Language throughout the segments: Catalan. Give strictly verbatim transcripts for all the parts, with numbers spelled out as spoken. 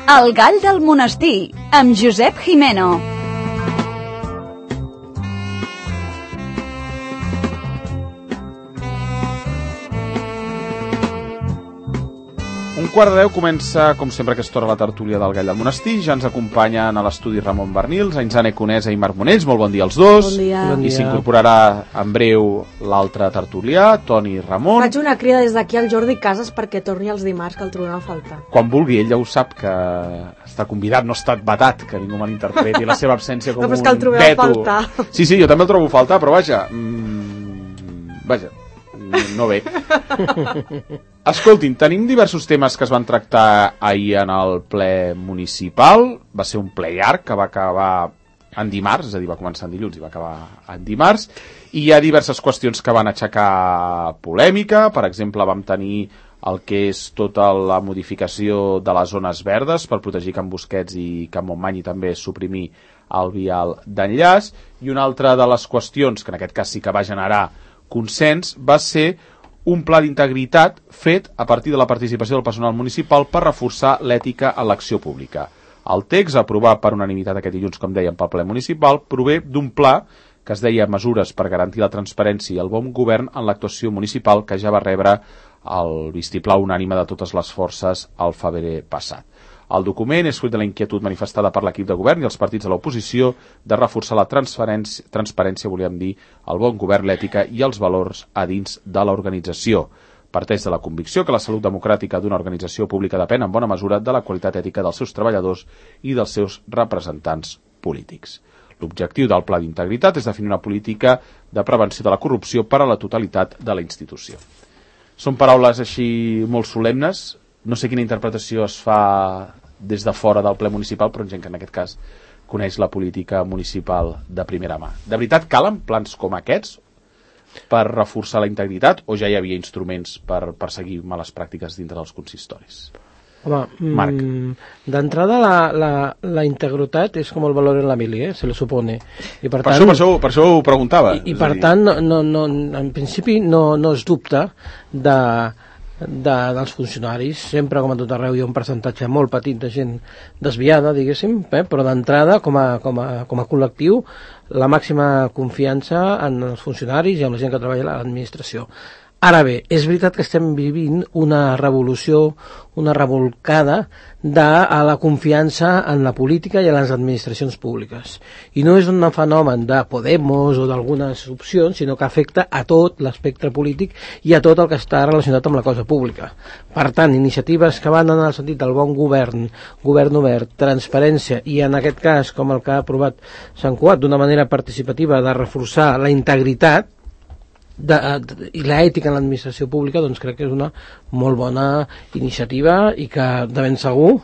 El gall del monestir, amb Josep Jimeno. Un quart de deu comença, com sempre, aquesta hora la tertúlia del Gall del Monestir. Ja ens acompanyen a l'estudi Ramon Bernils, Ainzane Conesa i Marc Monells. Molt bon dia als dos. Bon dia. Bon dia. I s'incorporarà en breu l'altre tertulià, Toni Ramon. Faig una crida des d'aquí al Jordi Casas perquè torni els dimarts, que el trobem a faltar. Quan vulgui, ell ja ho sap, que està convidat, no ha estat vetat, que ningú malinterpreti la seva absència com no, un que el trobem veto. a faltar. Sí, sí, jo també el trobo a faltar, però vaja, mmm, vaja, no ve. Escoltin, tenim diversos temes que es van tractar ahir en el ple municipal. Va ser un ple llarg que va acabar en dimarts, és a dir, va començar en dilluns i va acabar en dimarts, i hi ha diverses qüestions que van aixecar polèmica. Per exemple, vam tenir el que és tota la modificació de les zones verdes per protegir Can Busquets i Can Montmany i també suprimir el vial d'enllaç, i una altra de les qüestions, que en aquest cas sí que va generar consens, va ser un pla d'integritat fet a partir de la participació del personal municipal per reforçar l'ètica en l'acció pública. El text, aprovat per unanimitat aquest dilluns, com dèiem, pel ple municipal, prové d'un pla que es deia Mesures per garantir la transparència i el bon govern en l'actuació municipal, que ja va rebre el vistiplau unànime de totes les forces al febrer passat. El document és fruit de la inquietud manifestada per l'equip de govern i els partits de l'oposició de reforçar la transparència, transparència, volíem dir, el bon govern, l'ètica i els valors a dins de l'organització. Parteix de la convicció que la salut democràtica d'una organització pública depèn en bona mesura de la qualitat ètica dels seus treballadors i dels seus representants polítics. L'objectiu del pla d'integritat és definir una política de prevenció de la corrupció per a la totalitat de la institució. Són paraules així molt solemnes. No sé quina interpretació es fa des de fora del ple municipal, però gent que en aquest cas coneix la política municipal de primera mà. De veritat calen plans com aquests per reforçar la integritat, o ja hi havia instruments per perseguir males pràctiques dintre dels consistoris? Home, mm, d'entrada la, la, la integritat és com el valor en la mili, eh? Se lo supone. I per, per, tant, això, per, això, per això ho preguntava. I, i per tant, no, no, en principi no, no es dubta de... De, dels funcionaris. Sempre, com a tot arreu, hi ha un percentatge molt petit de gent desviada, diguéssim, eh? Però d'entrada, com a, com a, com a col·lectiu, la màxima confiança en els funcionaris i en la gent que treballa a l'administració. Ara bé, és veritat que estem vivint una revolució, una revolcada de a la confiança en la política i en les administracions públiques. I no és un fenomen de Podemos o d'algunes opcions, sinó que afecta a tot l'espectre polític i a tot el que està relacionat amb la cosa pública. Per tant, iniciatives que van en el sentit del bon govern, govern obert, transparència i, en aquest cas, com el que ha aprovat Sant Cugat, d'una manera participativa de reforçar la integritat De, de, i l'ètica en l'administració pública, doncs crec que és una molt bona iniciativa i que de ben segur,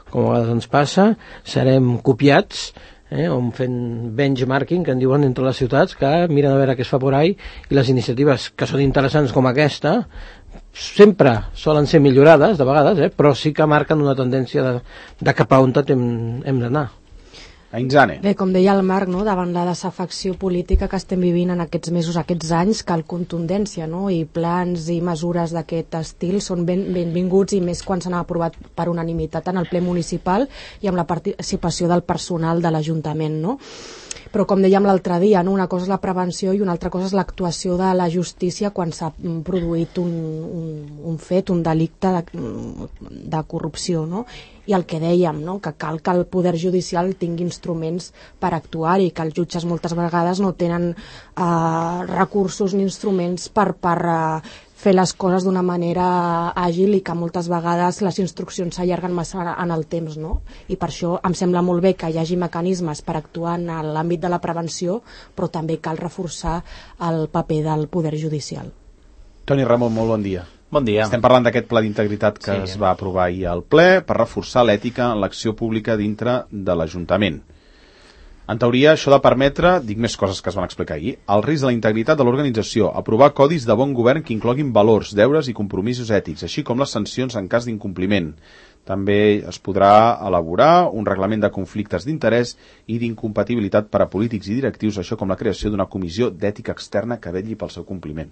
com a vegades ens passa, serem copiats, eh, o fent benchmarking, que en diuen entre les ciutats, que miren a veure què es fa por ahí, i les iniciatives que són interessants com aquesta sempre solen ser millorades de vegades, eh, però sí que marquen una tendència de, de cap a on hem, hem d'anar. Ainzane. Bé, com deia el Marc, no? Davant la desafecció política que estem vivint en aquests mesos, aquests anys, cal contundència, no? I plans i mesures d'aquest estil són ben, benvinguts, i més quan s'han aprovat per unanimitat en el ple municipal i amb la participació del personal de l'Ajuntament, no? Però com dèiem l'altre dia, no? Una cosa és la prevenció i una altra cosa és l'actuació de la justícia quan s'ha produït un, un, un fet, un delicte de, de corrupció, no? I el que dèiem, no? Que cal que el poder judicial tingui instruments per actuar, i que els jutges moltes vegades no tenen eh, recursos ni instruments per, per eh, fer les coses d'una manera àgil, i que moltes vegades les instruccions s'allarguen massa en el temps, no? I per això em sembla molt bé que hi hagi mecanismes per actuar en l'àmbit de la prevenció, però també cal reforçar el paper del poder judicial. Toni Ramon, molt bon dia. Bon dia. Estem parlant d'aquest pla d'integritat que sí. es va aprovar ahir al ple per reforçar l'ètica en l'acció pública dintre de l'Ajuntament. En teoria, això ha de permetre, dic més coses que es van explicar ahir, el risc de la integritat de l'organització, aprovar codis de bon govern que incloguin valors, deures i compromisos ètics, així com les sancions en cas d'incompliment. També es podrà elaborar un reglament de conflictes d'interès i d'incompatibilitat per a polítics i directius, això com la creació d'una comissió d'ètica externa que vetlli pel seu compliment.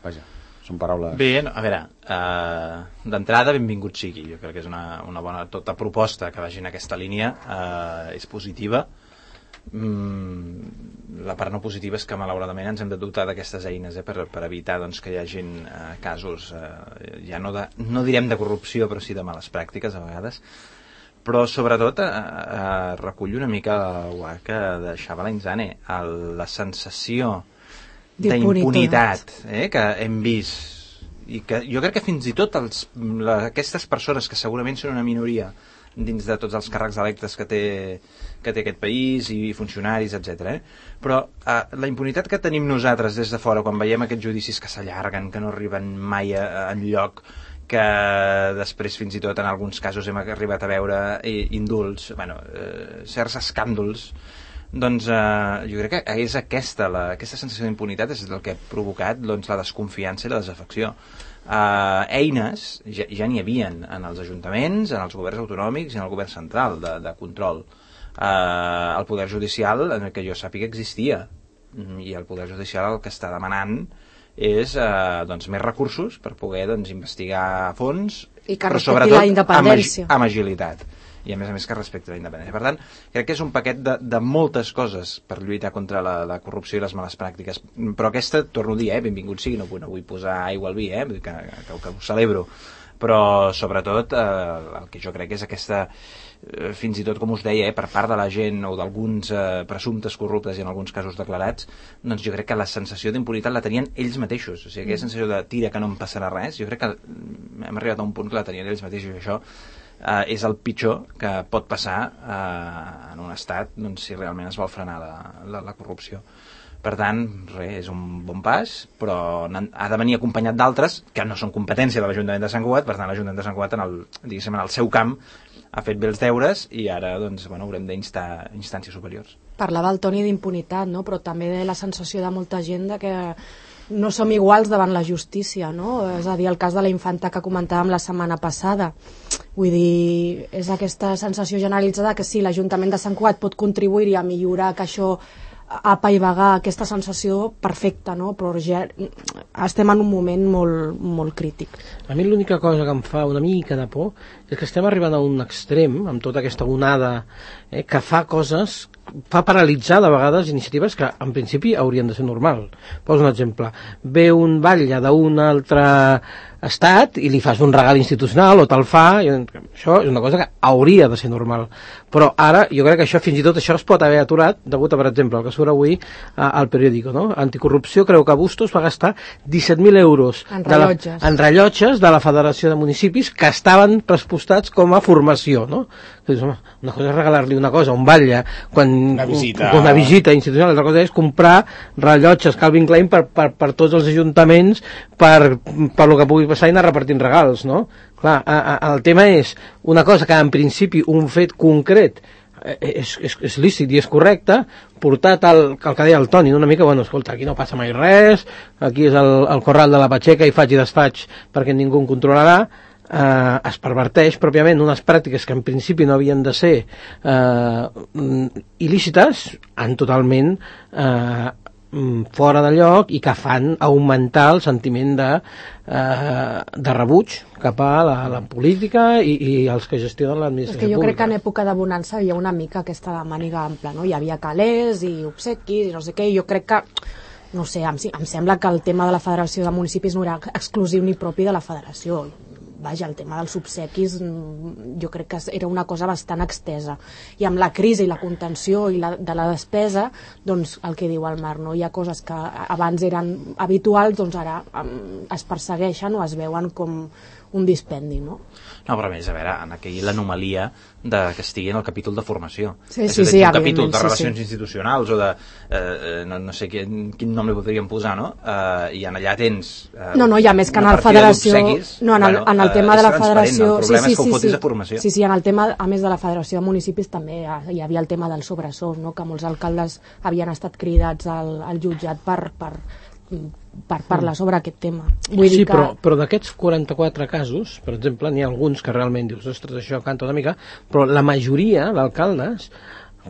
Vaja, són paraules... Bé, no, a veure, uh, d'entrada, benvingut sigui. Jo crec que és una, una bona... Tota proposta que vagi en aquesta línia uh, és positiva. Mm, la part no positiva és que malauradament ens hem de dotar d'aquestes eines eh, per, per evitar doncs, que hi hagi uh, casos, uh, ja no, de, no direm de corrupció, però sí de males pràctiques a vegades. Però sobretot uh, uh, recullo una mica el que deixava la Inzane, el, la sensació d'impunitat eh, que hem vist, i que jo crec que fins i tot els, la, aquestes persones que segurament són una minoria dins de tots els càrrecs electes que té, que té aquest país i funcionaris, etcètera. Eh? Però eh, la impunitat que tenim nosaltres des de fora quan veiem aquests judicis que s'allarguen, que no arriben mai a, a enlloc, que després fins i tot en alguns casos hem arribat a veure eh, indults, bueno, eh, certs escàndols, doncs eh, jo crec que és aquesta, la, aquesta sensació d'impunitat és el que ha provocat doncs, la desconfiança i la desafecció. Uh, eines ja, ja n'hi havien en els ajuntaments, en els governs autonòmics i en el govern central de, de control. Uh, el poder judicial, en el que jo sàpiga, existia, i el poder judicial el que està demanant és uh, doncs, més recursos per poder doncs, investigar a fons, i que però sobretot la independència. Amb, amb agilitat, i a més a més que respecti la independència. Per tant, crec que és un paquet de, de moltes coses per lluitar contra la, la corrupció i les males pràctiques, però aquesta, torno a dir, eh, benvingut sigui, no, no vull posar aigua al vi, eh, que, que, que ho celebro, però sobretot eh, el que jo crec és aquesta, eh, fins i tot com us deia, eh, per part de la gent o d'alguns eh, presumptes corruptes i en alguns casos declarats, doncs jo crec que la sensació d'impunitat la tenien ells mateixos, o sigui, aquella sensació de tira que no em passarà res, jo crec que hem arribat a un punt que la tenien ells mateixos, i això Uh, és el pitjor que pot passar uh, en un estat doncs, si realment es vol frenar la, la, la corrupció. Per tant, res, és un bon pas, però ha de venir acompanyat d'altres que no són competència de l'Ajuntament de Sant Cugat. Per tant, l'Ajuntament de Sant Cugat en el, diguéssim, en el seu camp ha fet bé els deures i ara doncs, bueno, haurem d'instar instàncies superiors. Parlava el Toni d'impunitat, no? Però també de la sensació de molta gent de que no som iguals davant la justícia, no? És a dir, el cas de la infanta que comentàvem la setmana passada. Vull dir, és aquesta sensació generalitzada que sí, l'Ajuntament de Sant Cugat pot contribuir a millorar que això apaivagar aquesta sensació perfecta, no? Però ja estem en un moment molt, molt crític. A mi l'única cosa que em fa una mica de por és que estem arribant a un extrem amb tota aquesta onada eh, que fa coses, fa paralitzar de vegades iniciatives que en principi haurien de ser normal. Poso un exemple, ve un batlle d'un altre estat i li fas un regal institucional o te'l fa, i això és una cosa que hauria de ser normal, però ara jo crec que això fins i tot això es pot haver aturat degut a, per exemple, el que surt avui a, al periòdico, no? Anticorrupció creu que Bustos va gastar disset mil euros en rellotges. De la, en rellotges de la Federació de Municipis que estaven prespostats com a formació, no? Dius, home, una cosa és regalar-li una cosa a un batlle quan una visita, una visita institucional, l'altra cosa és comprar rellotges Calvin Klein per, per, per tots els ajuntaments per, per lo que pugui passar i anar repartint regals, no? Clar, a, a, el tema és una cosa que en principi un fet concret és, és, és lícit i és correcte, portat al, el que deia el Toni, una mica, bueno, escolta, aquí no passa mai res, aquí és el, el corral de la Pacheca i faig i desfaig perquè ningú em controlarà. Eh, es perverteix pròpiament unes pràctiques que en principi no havien de ser eh, il·lícites, en totalment eh, fora de lloc i que fan augmentar el sentiment de, eh, de rebuig cap a la, la política i, i els que gestionen l'administració pública. És que jo crec que en època de bonança hi havia una mica aquesta màniga ampla, no? Hi havia calés i obsequis i no sé què, i jo crec que no sé, em, em sembla que el tema de la Federació de Municipis no era exclusiu ni propi de la Federació. Vaja, el tema dels obsequis jo crec que era una cosa bastant extesa, i amb la crisi i la contenció i la, de la despesa, doncs el que diu el Marc, no? Hi ha coses que abans eren habituals, doncs ara um, es persegueixen o es veuen com un dispendi, no? No, però a més, a veure, en aquell l'anomalia de que estigui en el capítol de formació. Sí, sí, sí, un capítol de sí, relacions sí. institucionals o de, eh, no, no sé quin, quin nom li podríem posar, no? Eh, I en allà tens eh, no, no, hi ha més que en la federació, no, en el, en el tema de la federació, el problema sí, sí, és que ho sí, fotis sí. a formació. Sí, sí, en el tema, a més de la Federació de Municipis també hi havia el tema del sobresous, no? Que molts alcaldes havien estat cridats al, al jutjat per, per, per parlar sobre aquest tema. Vull sí, dir que... però, però d'aquests quaranta-quatre casos, per exemple, n'hi ha alguns que realment dius, ostres, això canta una mica, però la majoria d'alcaldes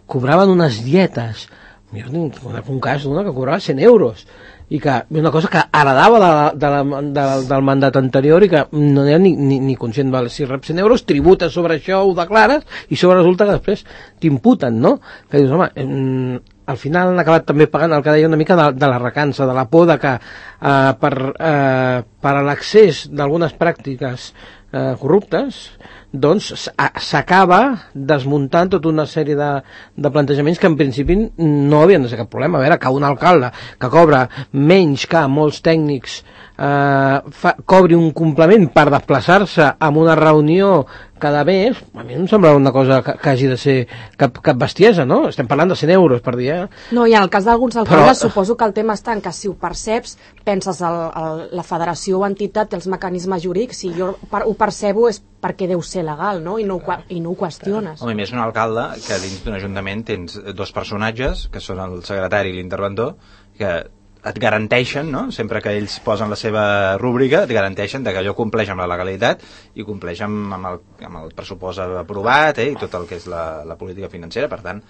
cobraven unes dietes Jo tinc un cas d'una que cobrava cent euros i que una cosa que heredava de, de la, de, del mandat anterior i que no era ni, ni, ni conscient, vale, si rep cent euros, tributes sobre això, ho declares i sobre resulta que després t'imputen, no? Que dius, home, eh, al final han acabat també pagant el que deia una mica de, de la recança, de la por de que eh, per, eh, per a l'accés d'algunes pràctiques eh, corruptes doncs s'acaba desmuntant tota una sèrie de, de plantejaments que en principi no havien de ser cap problema. A veure, que un alcalde que cobra menys que molts tècnics eh, fa, cobri un complement per desplaçar-se a una reunió cada mes, a mi no em sembla una cosa que, que hagi de ser cap, cap bestiesa, no? Estem parlant de cent euros per dia. No, i en el cas d'alguns alcaldes Però... suposo que el tema està en que si ho perceps, penses el, el, la federació o entitat té els mecanismes jurídics, si jo per, ho percebo és perquè deu ser legal, no? I no, i no ho qüestiones. Home, més un alcalde que dins d'un ajuntament tens dos personatges, que són el secretari i l'interventor, que et garanteixen, no? Sempre que ells posen la seva rúbrica, et garanteixen que allò compleix amb la legalitat i compleix amb, amb, el, amb el pressupost aprovat, eh? I tot el que és la, la política financera. Per tant,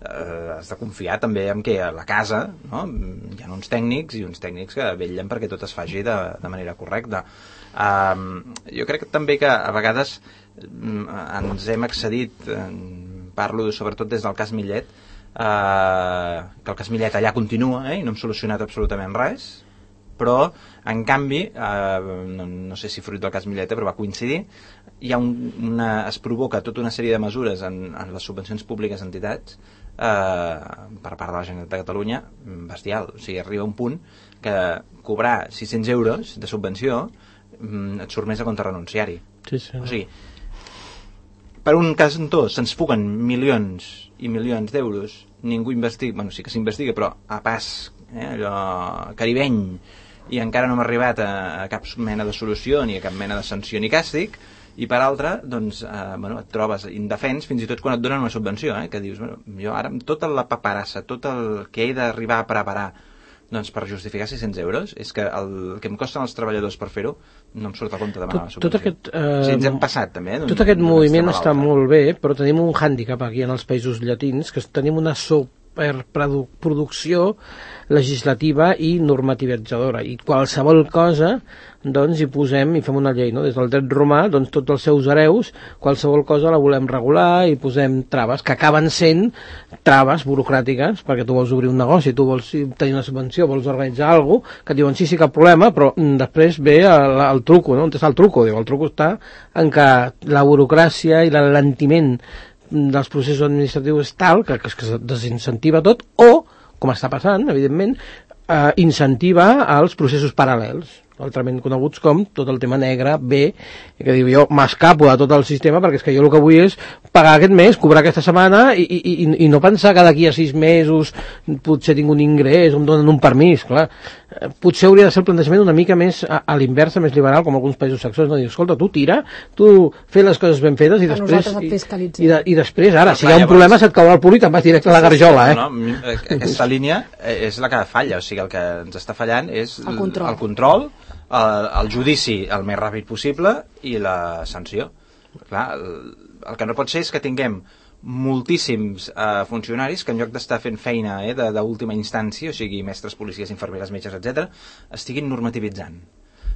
eh, has de confiar també en que a la casa, no? Hi ha uns tècnics i uns tècnics que vetllen perquè tot es faci de, de manera correcta. Um, jo crec que també que a vegades um, ens hem excedit, um, parlo sobretot des del cas Millet, Uh, que el cas Millet allà continua, eh, i no hem solucionat absolutament res, però en canvi uh, no, no sé si fruit del cas Millet, però va coincidir, hi ha un, una, es provoca tota una sèrie de mesures en, en les subvencions públiques a entitats uh, per part de la Generalitat de Catalunya bestial. O sigui, arriba un punt que cobrar sis-cents euros de subvenció um, et surt més a compte renunciari. Sí, sí. O sigui, per un cantó se'ns fuguen milions i milions d'euros, ningú investiga, bueno, sí que s'investiga, però a pas, eh, allò caribeny, i encara no hem arribat a, a cap mena de solució, ni a cap mena de sanció ni càstig, i per altra, doncs, eh, bueno, et trobes indefens fins i tot quan et donen una subvenció, eh, que dius, bueno, jo ara amb tota la paperassa, tot el que he d'arribar a preparar, doncs per justificar sis-cents euros, és que el que em costen els treballadors per fer-ho no em surt a compte demanar la subvenció. Tot aquest, eh, o sigui, ens hem passat també, eh, tot aquest moviment està molt bé, però tenim un hàndicap aquí en els països llatins, que tenim una superproducció legislativa i normativitzadora, i qualsevol cosa doncs hi posem i fem una llei, no? Des del dret romà, doncs tots els seus hereus, qualsevol cosa la volem regular i posem traves, que acaben sent traves burocràtiques, perquè tu vols obrir un negoci, tu vols tenir una subvenció, vols organitzar alguna cosa, que et diuen sí, sí, cap problema, però després ve el, el truco, no? On està el truco? Diu, el truco està en que la burocràcia i l'alentiment dels processos administratius és tal que, que, que es desincentiva tot, o, com està passant, evidentment, eh, incentiva els processos paral·lels, altrament coneguts com tot el tema negre, B, que diu jo m'escapo de tot el sistema perquè és que jo el que vull és pagar aquest mes, cobrar aquesta setmana i, i, i, i no pensar que d'aquí a sis mesos potser tinc un ingrés o em donen un permís, clar. Potser hauria de ser el plantejament una mica més a, a l'inversa, més liberal, com alguns països saxons, no? Diu, escolta, tu tira, tu fes les coses ben fetes i després i, i, de, i després, ara, si hi ha un problema se't caurà el punt i te'n vas directe a la garjola, eh? No, no, aquesta línia és la que falla, o sigui, el que ens està fallant és el control, el control El, el judici el més ràpid possible i la sanció. Clar, el, el que no pot ser és que tinguem moltíssims eh, funcionaris que en lloc d'estar fent feina eh, d'última instància, o sigui, mestres, policies, infermeres, metges, etcètera, estiguin normativitzant,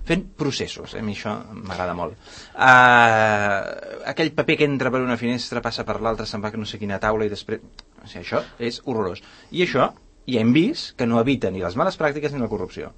fent processos. A mi això m'agrada molt. Uh, aquell paper que entra per una finestra, passa per l'altra, se'n va a no sé quina taula i després... O sigui, això és horrorós. I això ja hem vist que no evita ni les males pràctiques ni la corrupció.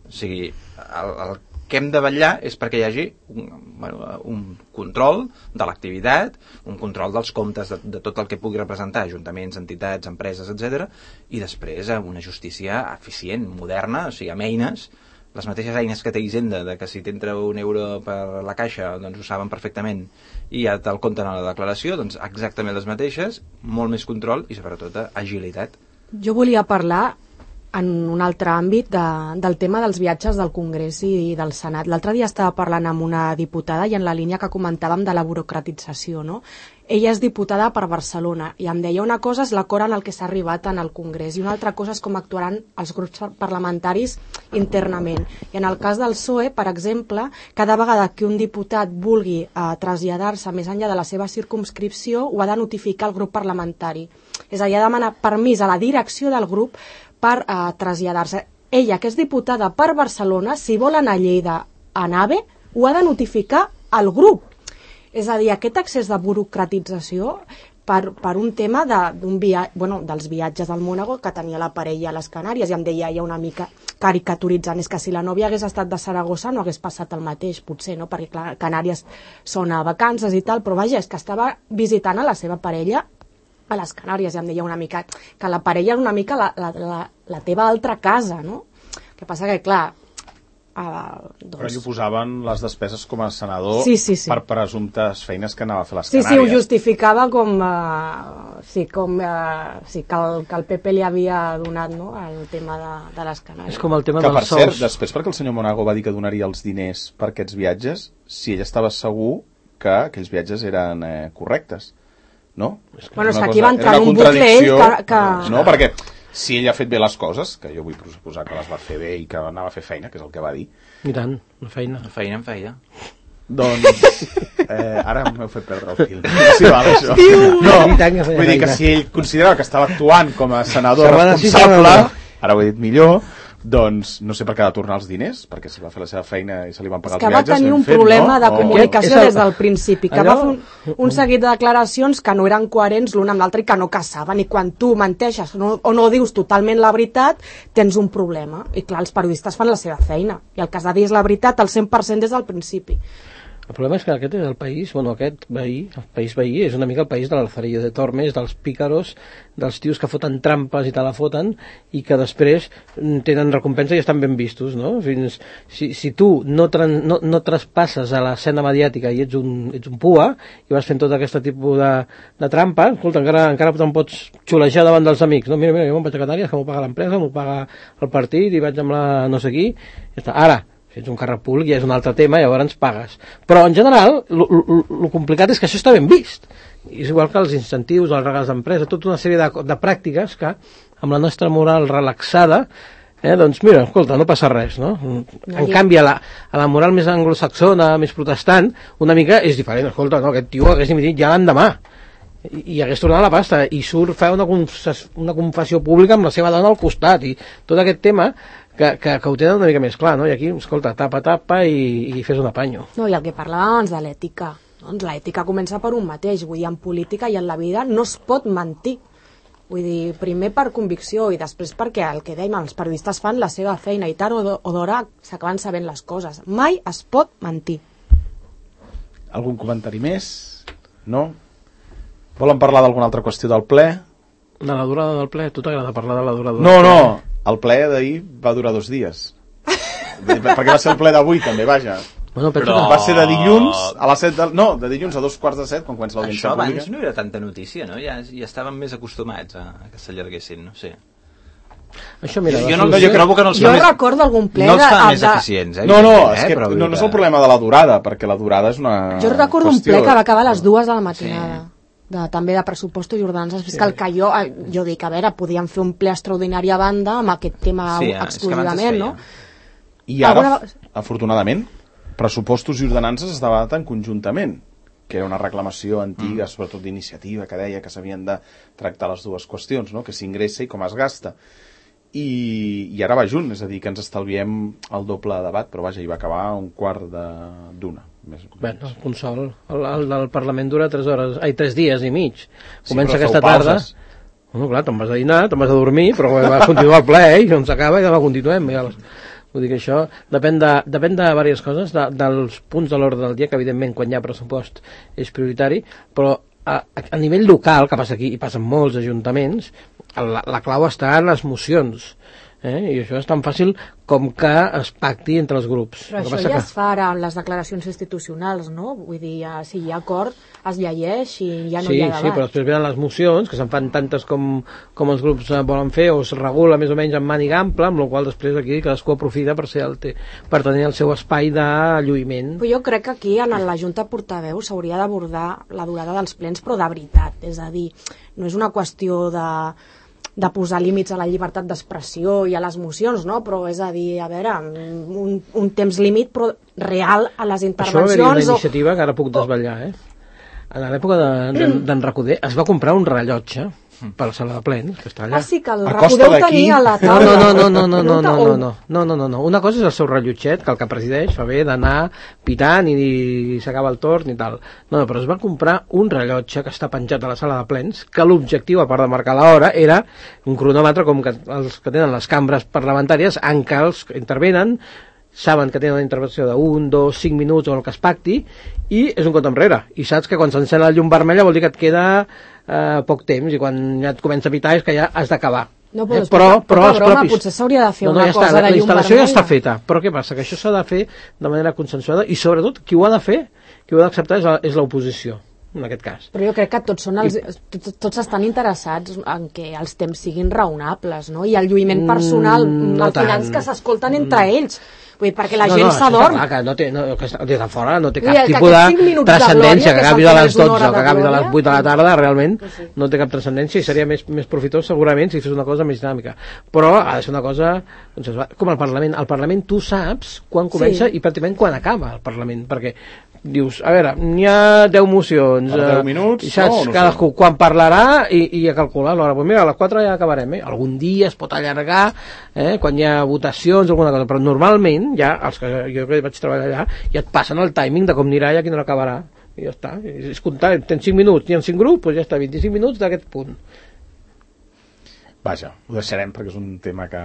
O sigui, el, el que hem de vetllar és perquè hi hagi un, bueno, un control de l'activitat, un control dels comptes de, de tot el que pugui representar ajuntaments, entitats, empreses, etcètera, i després una justícia eficient, moderna, o sigui, amb eines, les mateixes eines que té Hisenda, de que si t'entra un euro per la caixa, doncs ho saben perfectament i ja te'l compten a la declaració, doncs exactament les mateixes, molt més control i sobretot agilitat. Jo volia parlar en un altre àmbit de, del tema dels viatges del Congrés i del Senat. L'altre dia estava parlant amb una diputada i en la línia que comentàvem de la burocratització, no? Ella és diputada per Barcelona i em deia una cosa és l'acord en el que s'ha arribat en el Congrés i una altra cosa és com actuaran els grups parlamentaris internament. I en el cas del P S O E, per exemple, cada vegada que un diputat vulgui eh, traslladar-se més enllà de la seva circumscripció ho ha de notificar al grup parlamentari. És a dir, ha de demanar permís a la direcció del grup per eh, traslladar-se. Ella, que és diputada per Barcelona, si vol anar a Lleida a Nave, ho ha de notificar al grup. És a dir, aquest excés de burocratització per, per un tema de, d'un via... bueno, dels viatges del Mònaco que tenia la parella a les Canàries, i em deia ja una mica caricaturitzant, és que si la nòvia hagués estat de Saragossa no hagués passat el mateix, potser, no? Perquè clar, Canàries són a vacances i tal, però vaja, és que estava visitant a la seva parella a les Canàries, i em deia una mica que la parella és una mica la, la, la, la teva altra casa, no? El que passa que, clar, Uh, doncs... Però ell ho posaven les despeses com a senador sí, sí, sí. per presumptes feines que anava a fer les sí, Canàries. Sí, ho justificava com, uh, sí, com uh, sí, que, el, que el P P li havia donat, no?, el tema de, de les Canàries. És com el tema que, dels per cert, sous. Després, perquè el senyor Monago va dir que donaria els diners per aquests viatges, si ell estava segur que aquells viatges eren eh, correctes, no? Bueno, és que aquí va entrar un bucle ell que... que... No, perquè si ell ha fet bé les coses, que jo vull suposar que les va fer bé i que anava a fer feina, que és el que va dir. I tant, una feina. Una feina en feia. Doncs eh, ara m'heu fet perdre el fil. Sí, val, això. No, vull dir que si ell considerava que estava actuant com a senador responsable, ara ho he dit millor, doncs no sé per què ha de tornar els diners, perquè si va fer la seva feina i se li van pagar els viatges... És que va tenir un fet, problema no? de comunicació o... des del principi, que allò... va fer un, un seguit de declaracions que no eren coherents l'un amb l'altre i que no caçaven, i quan tu menteixes no, o no dius totalment la veritat, tens un problema. I clar, els periodistes fan la seva feina, i el que has de dir és la veritat al cent per cent des del principi. El problema és que aquest és el país, bueno, aquest veí, el país veí és una mica el país de l'Alzarillo de Tormes, dels pícaros, dels tios que foten trampes i te la foten i que després tenen recompensa i estan ben vistos, no? Fins, si, si tu no, tran, no, no traspasses a l'escena mediàtica i ets un, ets un pua i vas fent tot aquest tipus de, de trampa, escolta, encara, encara te'n pots xulejar davant dels amics, no? Mira, mira, jo me'n vaig a Canàries, que m'ho paga l'empresa, m'ho paga el partit i vaig amb la no sé qui, ja està. Ara, si ets un càrrec públic ja és un altre tema, llavors ens pagues. Però en general, el complicat és que això està ben vist. És igual que els incentius, els regals d'empresa, tota una sèrie de, de pràctiques que, amb la nostra moral relaxada, eh, doncs mira, escolta, no passa res, no? En canvi, a la, a la moral més anglosaxona, més protestant, una mica és diferent. Escolta, no, aquest tio hagués dimitit ja l'endemà i, i hagués tornat la pasta i surt fer una, una confessió pública amb la seva dona al costat i tot aquest tema que, que, que ho tenen una mica més clar, no? I aquí, escolta, tapa, tapa i, i fes un apanyo. No, i el que parlàvem abans de l'ètica, doncs l'ètica comença per un mateix, vull dir, en política i en la vida no es pot mentir. Vull dir, primer per convicció i després perquè el que dèiem, els periodistes fan la seva feina i tard o d'hora s'acaben sabent les coses. Mai es pot mentir. Algun comentari més? No? Volen parlar d'alguna altra qüestió del ple? De la durada del ple? A tu t'agrada parlar de la durada del no, ple? No, no. El ple d'ahir va durar dos dies. Perquè va ser el ple d'avui, també, vaja. Bueno, però... Va ser de dilluns a les set del... No, de dilluns a dos quarts de set, quan comença l'audiència pública. Això abans no era tanta notícia, no? Ja, ja estàvem més acostumats a, a que s'allarguessin, no sé. Això, mira, jo, no, no, jo trobo que no els jo fa més... recordo algun ple... No els fa de, més de... eficients, eh? No, no, eh? és que Però, no, no és el problema de la durada, perquè la durada és una Jo recordo qüestió... un ple que va acabar a les dues de la matinada. Sí. De, també de pressupostos i ordenances fiscal, sí. Que jo, jo dic, a veure, podíem fer un ple extraordinari a banda amb aquest tema sí, exclusivament, no? I ara, Alguna... afortunadament, pressupostos i ordenances es debaten conjuntament, que era una reclamació antiga, mm. sobretot d'iniciativa, que deia que s'havien de tractar les dues qüestions, no? Que s'ingressa i com es gasta. I, i ara va junt, és a dir, que ens estalviem el doble debat, però vaja, hi va acabar un quart d'una. Més, bueno, el consol el, el del Parlament dura tres hores, ai, tres dies i mig. Comença sí, aquesta tarda. Bueno, clar, te'n vas a dinar, te'n vas a dormir, però va continuar el ple, eh? I on s'acaba i demà continuem. Ja. Vull dir que això depèn de, depèn de diverses coses, de, dels punts de l'ordre del dia, que evidentment quan hi ha pressupost és prioritari, però a, a nivell local, que passa aquí i passa en molts ajuntaments, la, la clau està en les mocions. Eh? I això és tan fàcil com que es pacti entre els grups. Però això ja que... es fa ara amb les declaracions institucionals, no? Vull dir, ja, si hi ha acord, es llegeix i ja no sí, hi ha debat. Sí, però després venen les mocions, que se'n fan tantes com, com els grups volen fer, o es regula més o menys en màniga ampla, amb la qual després aquí cadascú aprofita per, ser el te... per tenir el seu espai de lluïment. Però jo crec que aquí en la Junta Portaveu s'hauria d'abordar la durada dels plens, però de veritat. És a dir, no és una qüestió de... de posar límits a la llibertat d'expressió i a les mocions, no? Però és a dir, a veure, un, un temps límit però real a les intervencions. Això va haver-hi una iniciativa o... que ara puc desvetllar, eh? En l'època d'en de, Recoder es va comprar un rellotge per la sala de plens, que està allà. Ah, sí, que el Recoder ho tenia a la taula. No, no, no, no, no, no, no, no, no, no, no, no, no. Una cosa és el seu rellotget, que el que presideix fa bé d'anar pitant i, i s'acaba el torn i tal. No, no, però es va comprar un rellotge que està penjat a la sala de plens, que l'objectiu, a part de marcar l'hora, era un cronòmetre com que els que tenen les cambres parlamentàries, en què els intervenen, saben que tenen una intervenció d'un, dos, cinc minuts o el que es pacti, i és un compte enrere. I saps que quan s'encén la llum vermella vol dir que et queda eh, poc temps, i quan ja et comença a pitar és que ja has d'acabar. No, però, eh? però, però broma, propis... potser s'hauria de fer no, no, una ja cosa està, de llum vermella. La instal·lació ja està feta, però què passa? Que això s'ha de fer de manera consensuada, i sobretot qui ho ha de fer, qui ho ha d'acceptar és l'oposició, en aquest cas. Però jo crec que tots, són els, tots, tots estan interessats en que els temps siguin raonables, no? I el lluïment personal, mm, no al final és que s'escolten entre ells. Vull dir, perquè la no, gent no, s'adorm. Que no té, no, que des de fora no té cap dir, tipus de transcendència, que acabi de les dotze o que acabi de les vuit de la tarda, realment sí. No té cap transcendència i seria més, més profitós segurament si fes una cosa més dinàmica. Però ha de ser una cosa, doncs, com el Parlament. Al Parlament tu saps quan comença sí. I pràcticament quan acaba el Parlament, perquè dius, a veure, n'hi ha deu mocions, deu minuts, i saps no, no cadascú sé. Quan parlarà i, i a calcular l'hora. Pues mira, a les quatre ja acabarem, eh? Algun dia es pot allargar, eh? Quan hi ha votacions o alguna cosa, però normalment ja, els que jo que vaig treballar allà, ja et passen el timing de com anirà i a quina hora acabarà, i ja està, és comptar, tens cinc minuts, n'hi ha cinc grups, doncs ja està, vint-i-cinc minuts d'aquest punt. Vaja, ho deixarem perquè és un tema que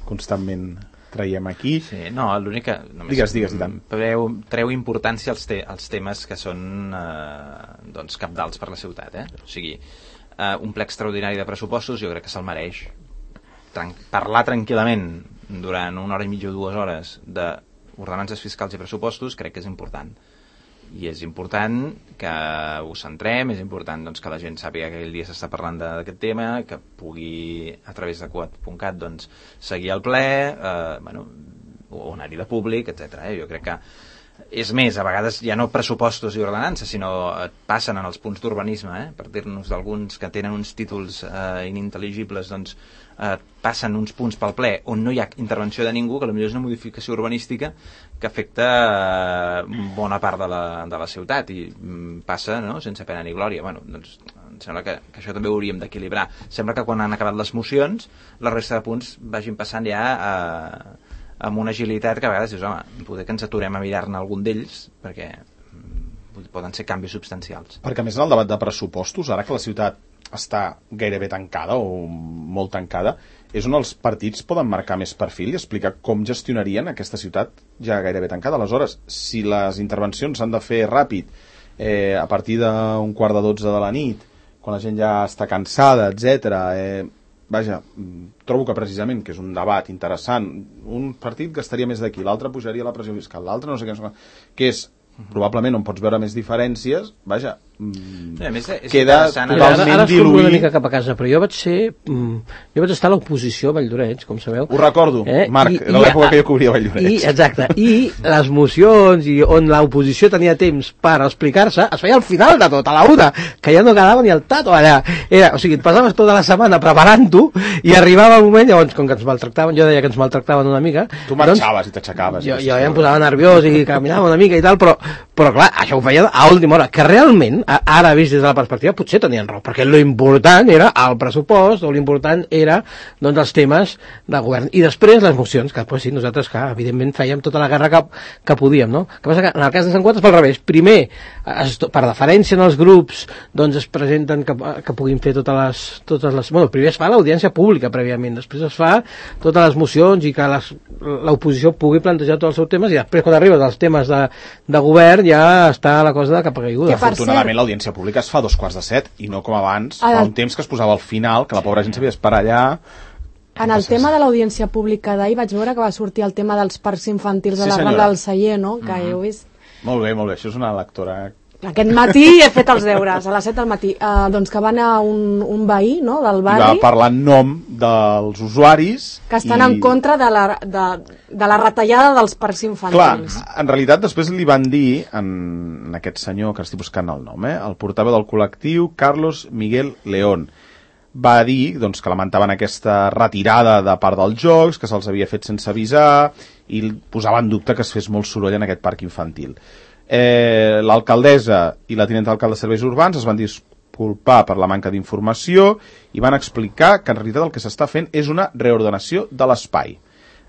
constantment traiem aquí. Sí, no, l'únic que només digues, digues, tant. Treu, treu importància als, te, als temes que són eh, doncs cabdals per la ciutat, eh? O sigui, eh, un ple extraordinari de pressupostos jo crec que se'l mereix. Tran parlar tranquil·lament durant una hora i mitja o dues hores d'ordenances fiscals i pressupostos crec que és important. I és important que ho centrem, és important doncs, que la gent sàpiga que aquell dia s'està parlant d'aquest tema, que pugui a través de quat punt cat doncs, seguir el ple, eh, bueno, o anar-hi de públic, etcètera. Eh? Jo crec que és més, a vegades ja no pressupostos i ordenances, sinó et passen en els punts d'urbanisme, eh? Per dir-nos d'alguns que tenen uns títols eh, inintel·ligibles, doncs eh, passen uns punts pel ple on no hi ha intervenció de ningú, que potser és una modificació urbanística que afecta eh, bona part de la, de la ciutat i mm, passa, no?, sense pena ni glòria. Bueno, doncs em sembla que, que això també ho hauríem d'equilibrar. Sembla que quan han acabat les mocions la resta de punts vagin passant ja a amb una agilitat que a vegades dius, home, poder que ens aturem a mirar-ne algun d'ells, perquè poden ser canvis substancials. Perquè a més en el debat de pressupostos, ara que la ciutat està gairebé tancada o molt tancada, és on els partits poden marcar més perfil i explicar com gestionarien aquesta ciutat ja gairebé tancada. Aleshores, si les intervencions s'han de fer ràpid, eh, a partir d'un quart de dotze de la nit, quan la gent ja està cansada, etcètera, eh, vaja, trobo que precisament que és un debat interessant, un partit gastaria més d'aquí, l'altre pujaria la pressió fiscal, l'altre no sé què, no sé què, que és probablement on pots veure més diferències, vaja, sí, a més és queda totalment ara, ara diluït. Una mica cap a casa, però jo vaig ser jo vaig estar a l'oposició a Valldoreix, com sabeu. Ho recordo, eh? Marc, I, era l'època que jo cobria Valldoreix. I, exacte, i les mocions i on l'oposició tenia temps per explicar-se, es feia al final de tot, a la una, que ja no quedava ni el tato allà. Era, o sigui, et passaves tota la setmana preparant-ho i arribava el moment, llavors, com que ens maltractaven, jo deia que ens maltractaven una mica. Tu marxaves doncs, i t'aixecaves. Jo, jo ja em posava nerviós i caminava una mica i tal, però però clar, això ho feia a última hora, que realment, ara vist des de la perspectiva, potser tenien raó, perquè l'important era el pressupost, o l'important era, doncs, els temes de govern. I després les mocions, que pues, sí, nosaltres, que evidentment fèiem tota la guerra que, que podíem, no? Que passa que en el cas de Sant Quat és pel revés. Primer, es, per deferència en els grups, doncs es presenten que, que puguin fer totes les, totes les... Bueno, primer es fa l'audiència pública prèviament, després es fa totes les mocions i que l'oposició pugui plantejar tots els seus temes, i després quan arriben els temes de, de govern ja està la cosa de cap a caiguda. Afortunadament l'audiència pública es fa a dos quarts de set i no com abans, fa un temps que es posava al final, que la pobra gent s'havia d'esperar allà. En el tema de l'audiència pública d'ahir vaig veure que va sortir el tema dels parcs infantils Sí, a la senyora. Rambla del Celler, no? Que Mhm. heu vist. Molt bé, molt bé, això és una lectora... Aquest matí he fet els deures, a les set del matí. Uh, doncs que va anar un, un veí, no?, del I va barri, parlar en nom dels usuaris... que estan i... en contra de la, de, de la retallada dels parcs Clar, infantils. en realitat després li van dir en, en aquest senyor, que estic buscant el nom, eh, el portaveu del col·lectiu, Carlos Miguel León, va dir doncs, que lamentaven aquesta retirada de part dels jocs, que se'ls havia fet sense avisar, i posava en dubte que es fes molt soroll en aquest parc infantil. Eh, l'alcaldessa i la tinenta d'alcalde de serveis urbans es van disculpar per la manca d'informació i van explicar que en realitat el que s'està fent és una reordenació de l'espai.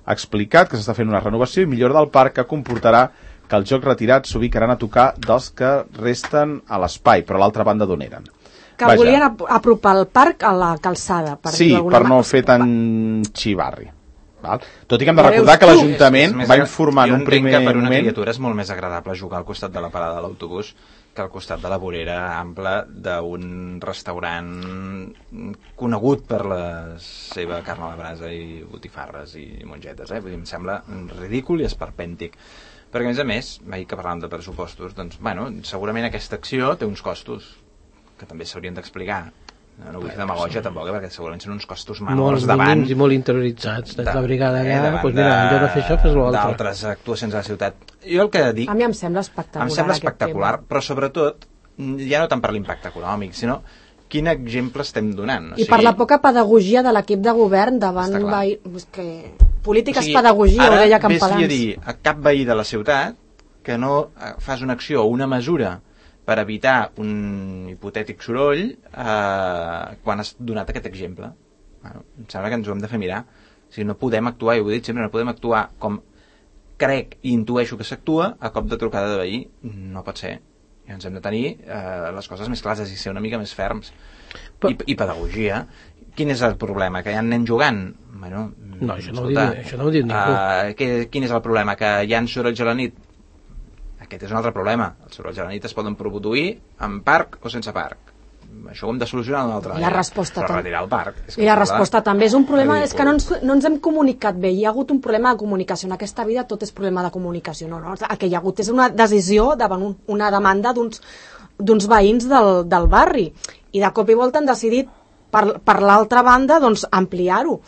Ha explicat que s'està fent una renovació i millora del parc que comportarà que els jocs retirats s'ubicaran a tocar dels que resten a l'espai, però a l'altra banda d'on eren. Que Vaja. volien ap- apropar el parc a la calçada, per Sí, dir-ho d'alguna per no manera. fer tan xivarri. Val? Tot i que hem de Ja recordar veus que tu. l'Ajuntament És més va agra- informar en jo un entenc primer que per una moment... criatura és molt més agradable jugar al costat de la parada de l'autobús que al costat de la vorera ampla d'un restaurant conegut per la seva carn a la brasa i botifarres i mongetes, eh? Vull dir, em sembla ridícul i esperpèntic. Perquè, a més a més, ahir que parlàvem de pressupostos, doncs, bueno, segurament aquesta acció té uns costos que també s'haurien d'explicar. No, no vull fer demagògia tampoc, eh, perquè segurament són uns costos menors Molts davant mínims i molt interioritzats. De, la brigada eh, allà, davant doncs mira, en lloc de fer això, fes l'altre. d'altres actuacions a la ciutat. Jo el que dic... A mi em sembla espectacular. Em sembla aquest espectacular, tema. però sobretot, ja no tant per l'impacte econòmic, sinó quin exemple estem donant. O I per la poca pedagogia de l'equip de govern davant... Està clar. Veí... És que... Política o sigui, és pedagogia, ho deia Ara vés-li Campalans. a dir a cap veí de la ciutat que no eh, fas una acció o una mesura per evitar un hipotètic soroll eh, quan has donat aquest exemple. Bueno, em sembla que ens ho hem de fer mirar. O sigui, no podem actuar, i ho he dit sempre, no podem actuar com crec i intueixo que s'actua a cop de trucada de veí. No pot ser. I ens hem de tenir eh, les coses més clares i ser una mica més ferms. I, i pedagogia. Quin és el problema? Que hi ha nens jugant? Bueno, No, això no ho escolta, diu- això no ho diu ningú. Uh, que, quin és el problema? Que hi ha sorolls a la nit? Aquest és un altre problema. Els sorolls a la nit es poden produir en parc o sense parc. Això ho hem de solucionar d'una altra I la manera. resposta Però tam- retirar el parc. És que I la esclar, resposta també és un problema, ridícul. és que no ens, no ens hem comunicat bé, hi ha hagut un problema de comunicació, en aquesta vida tot és problema de comunicació, no, no, el que hi ha hagut és una decisió davant un, una demanda d'uns d'uns veïns del, del barri, i de cop i volta han decidit per, per l'altra banda doncs ampliar-ho,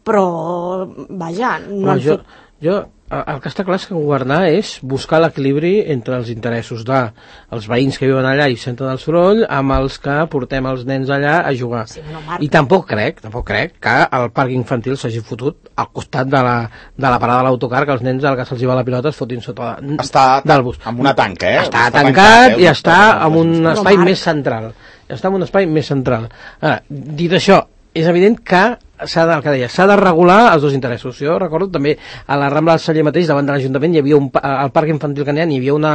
però vaja, no Home, han jo, fet... jo, el que està clar és que governar és buscar l'equilibri entre els interessos dels veïns que viuen allà i senten el soroll amb els que portem els nens allà a jugar. Sí, no, Marc. I tampoc crec, tampoc crec que el parc infantil s'hagi fotut al costat de la, de la parada de l'autocar, que els nens al que se'ls hi va la pilota es fotin sota de, Està del bus. amb una tanca, eh? Està, Està tancat, tancat, eh? i està en un Però, espai Marc. més central. Està en un espai més central. Ara, dit això, és evident que s'ha de, el que deia, s'ha de regular els dos interessos. Jo recordo també a la Rambla del Celler mateix, davant de l'Ajuntament, hi havia un, pa- al parc infantil que n'hi ha, hi havia una,